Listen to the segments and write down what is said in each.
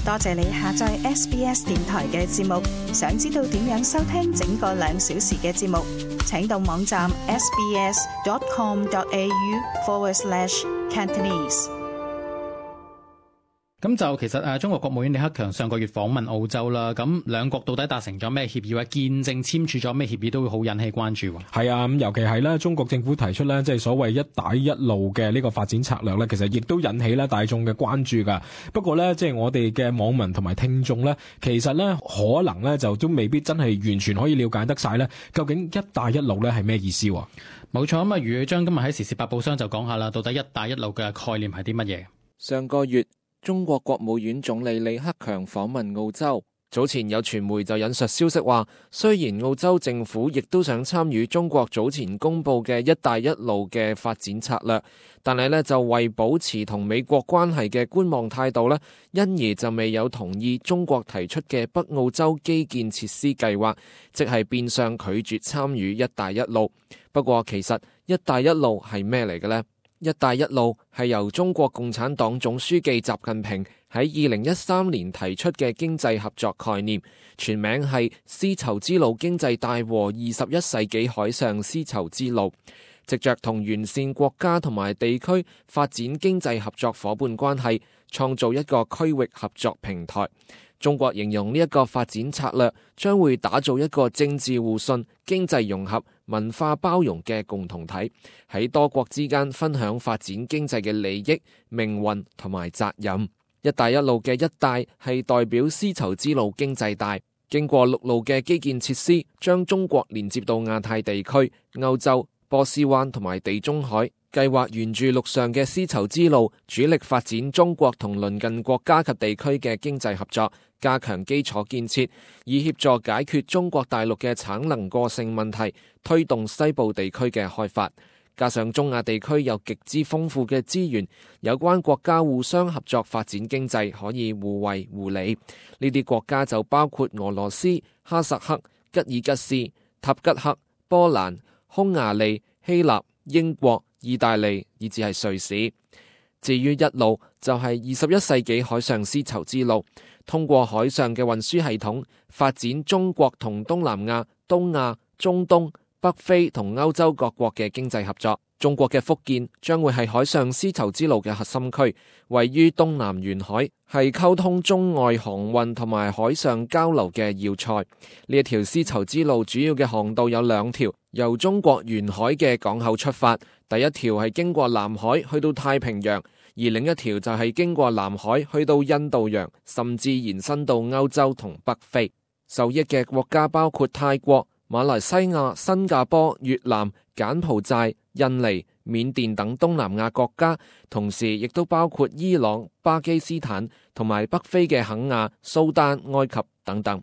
多謝你下載 SBS 電台嘅節目。想知道點樣收聽整個2小時嘅節目，請到網站 sbs.com.au/Cantonese。咁就其實中國國務院李克強上個月訪問澳洲啦，咁兩國到底達成咗咩協議或者見證簽署咗咩協議，都會好引起關注。係啊，咁尤其係咧，中國政府提出咧，即係所謂一帶一路嘅呢個發展策略咧，其實亦都引起咧大眾嘅關注噶。不過咧，即係我哋嘅網民同埋聽眾咧，其實咧可能咧就都未必真係完全可以了解得晒咧，究竟一帶一路咧係咩意思？冇錯，咁余宇章今日喺時事百寶箱就講下啦，到底一帶一路嘅概念係啲乜嘢？上個月，中國國務院總理李克強訪問澳洲。早前有傳媒就引述消息話，雖然澳洲政府亦都想參與中國早前公布嘅一帶一路嘅發展策略，但係呢就為保持同美國關係嘅觀望態度呢，因而就未有同意中國提出嘅北澳洲基建設施計劃，即係變相拒絕參與一帶一路。不過其實一帶一路係咩嚟嘅呢？一帶一路係由中國共產黨總書記習近平喺2013年提出嘅經濟合作概念，全名係絲綢之路經濟帶和21世紀海上絲綢之路，藉着同完善國家同埋地區發展經濟合作夥伴關係，創造一個區域合作平台。中國形容呢一個發展策略將會打造一個政治互信、經濟融合、文化包容嘅共同體，喺多國之間分享發展經濟嘅利益、命運同埋責任。一帶一路嘅一帶係代表絲綢之路經濟帶，經過陸路嘅基建設施，將中國連接到亞太地區、歐洲、波斯灣同埋地中海。計劃沿住陸上嘅絲綢之路，主力發展中國同鄰近國家及地區嘅經濟合作，加強基礎建設，以協助解決中國大陸嘅產能過剩問題，推動西部地區嘅開發。加上中亞地區有極之豐富嘅資源，有關國家互相合作發展經濟，可以互惠互利。呢啲國家就包括俄羅斯、哈薩克、吉爾吉斯、塔吉克、波蘭、匈牙利、希臘、英國、意大利以至係瑞士。至於一路就係21世紀海上絲綢之路，通過海上嘅運輸系統發展中國同東南亞、東亞、中東、北非同歐洲各國嘅經濟合作。中國嘅福建將會係海上絲綢之路嘅核心區，位於東南沿海，係溝通中外航運同埋海上交流嘅要塞。呢一條絲綢之路主要嘅航道有2條，由中國沿海嘅港口出發，第一條係經過南海去到太平洋，而另一條就係經過南海去到印度洋，甚至延伸到歐洲同北非。受益嘅國家包括泰國、馬來西亞、新加坡、越南、柬埔寨、印尼、緬甸等東南亞國家，同時亦都包括伊朗、巴基斯坦同埋北非嘅肯亞、蘇丹、埃及等等。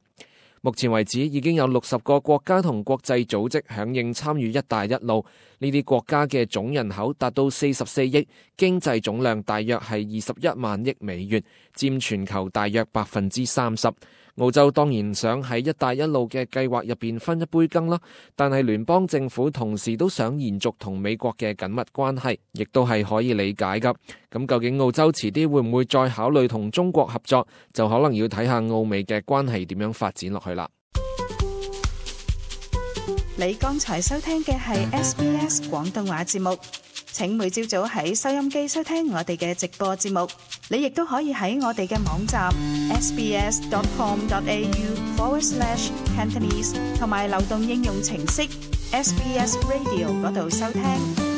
目前為止已經有60個國家同國際組織響應參與一帶一路，呢啲國家嘅總人口達到44億，經濟總量大約係21萬億美元，佔全球大約30%。澳洲當然想喺一帶一路嘅計劃入邊分一杯羹啦，但係聯邦政府同時都想延續同美國嘅緊密關係，亦都係可以理解噶。咁究竟澳洲遲啲會唔會再考慮同中國合作，就可能要睇下澳美嘅關係點樣發展落去啦。你剛才收聽嘅係 SBS 廣東話節目，請每朝早喺收音機收聽我哋嘅直播節目。你亦都可以喺我哋嘅網站 sbs.com.au/Cantonese 同埋流動應用程式 SBS Radio 嗰度收聽。